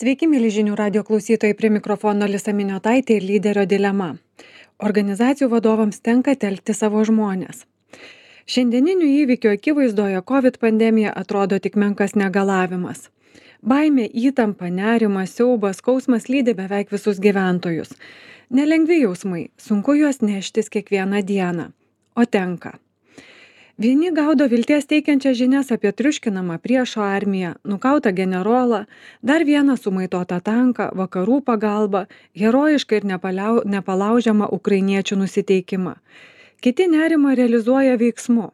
Sveiki, mėly žinių radio klausytojai, prie mikrofono Lisa Miniotaitė ir lyderio dilema. Organizacijų vadovams tenka telkti savo žmones. Šiandieninių įvykių akivaizdoje COVID pandemija atrodo tik menkas negalavimas. Baimė, įtampa, nerimas, siaubas, skausmas lydi beveik visus gyventojus. Nelengvi jausmai, sunku juos neštis kiekvieną dieną, o tenka. Vieni gaudo vilties teikiančias žinias apie triuškinamą priešo armiją, nukautą generolą, dar vieną sumaitotą tanką, vakarų pagalbą, herojišką ir nepalaužiamą ukrainiečių nusiteikimą. Kiti nerimą realizuoja veiksmu.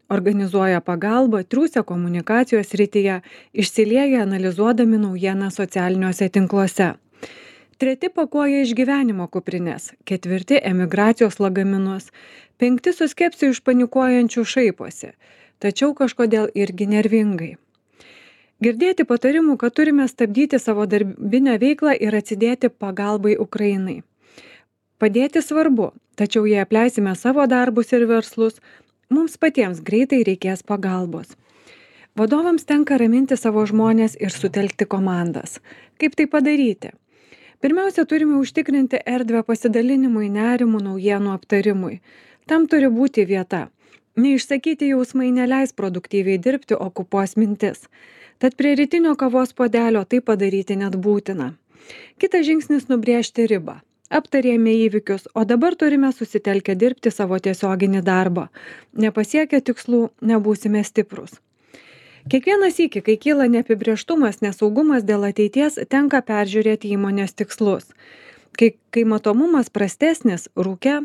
Organizuoja pagalbą, triūsia komunikacijos srityje, išsilieja analizuodami naujieną socialiniuose tinkluose. Treti pakuoja išgyvenimo kuprines, ketvirti emigracijos lagaminus, penkti su skepsiu išpanikuojančių šaiposi, tačiau kažkodėl irgi nervingai. Girdėti patarimų, kad turime stabdyti savo darbinę veiklą ir atsidėti pagalbai Ukrainai. Padėti svarbu, tačiau jei apleisime savo darbus ir verslus, mums patiems greitai reikės pagalbos. Vadovams tenka raminti savo žmones ir sutelkti komandas. Kaip tai padaryti? Pirmiausia, turime užtikrinti erdvę pasidalinimui, nerimų, naujienų aptarimui. Tam turi būti vieta. Neišsakyti jausmai neleis produktyviai dirbti, okupuos mintis. Tad prie rytinio kavos puodelio tai padaryti net būtina. Kitas žingsnis nubrėžti ribą. Aptarėme įvykius, o dabar turime susitelkę dirbti savo tiesioginį darbą. Nepasiekę tikslų, nebūsime stiprus. Kiekvieną sykį, kai kyla neapibrėžtumas, nesaugumas dėl ateities, tenka peržiūrėti įmonės tikslus. Kai matomumas prastesnis, rūke,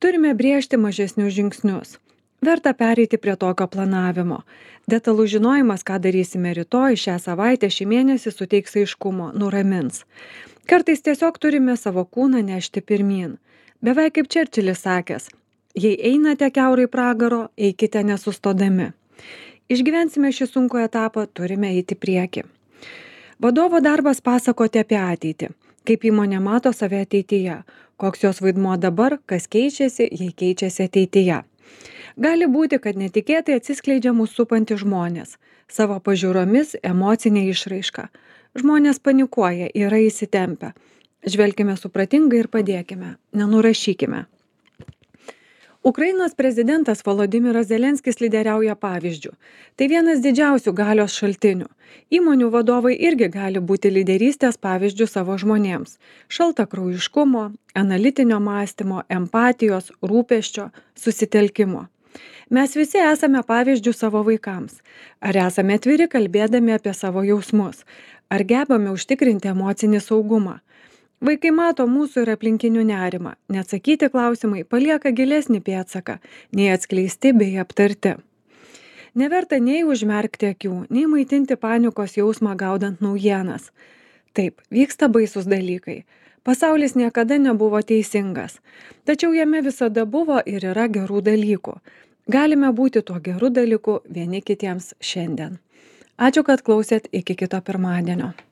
turime brėžti mažesnius žingsnius. Verta pereiti prie tokio planavimo. Detalus žinojimas, ką darysime rytoj, šią savaitę, šį mėnesį suteiks aiškumo, nuramins. Kartais tiesiog turime savo kūną nešti pirmyn. Beveik kaip Čerčilis sakęs, jei einate kiaurai pragaro, eikite nesustodami. Išgyvensime šį sunkų etapą, turime eiti prieki. Vadovo darbas pasakoti apie ateitį, kaip įmonė mato save ateityje, koks jos vaidmuo dabar, kas keičiasi, jei keičiasi ateityje. Gali būti, kad netikėtai atsiskleidžia mūsų supantys žmonės, savo pažiūromis, emocinė išraiška. Žmonės panikuoja, yra įsitempę. Žvelkime supratingai ir padėkime, nenurašykime. Ukrainos prezidentas Volodymyras Zelenskis lyderiauja pavyzdžiu. Tai vienas didžiausių galios šaltinių. Įmonių vadovai irgi gali būti lyderystės pavyzdžių savo žmonėms. Šaltakraujiškumo, analitinio mąstymo, empatijos, rūpesčio, susitelkimo. Mes visi esame pavyzdžių savo vaikams. Ar esame atviri kalbėdami apie savo jausmus? Ar gebame užtikrinti emocinį saugumą? Vaikai mato mūsų ir aplinkinių nerimą. Neatsakyti klausimai palieka gilesnį pėdsaką, nei atskleisti bei aptarti. Neverta nei užmerkti akių, nei maitinti panikos jausmą gaudant naujienas. Taip, vyksta baisus dalykai. Pasaulis niekada nebuvo teisingas. Tačiau jame visada buvo ir yra gerų dalykų. Galime būti tuo geru dalyku vieni kitiems šiandien. Ačiū, kad klausėt, iki kito pirmadienio.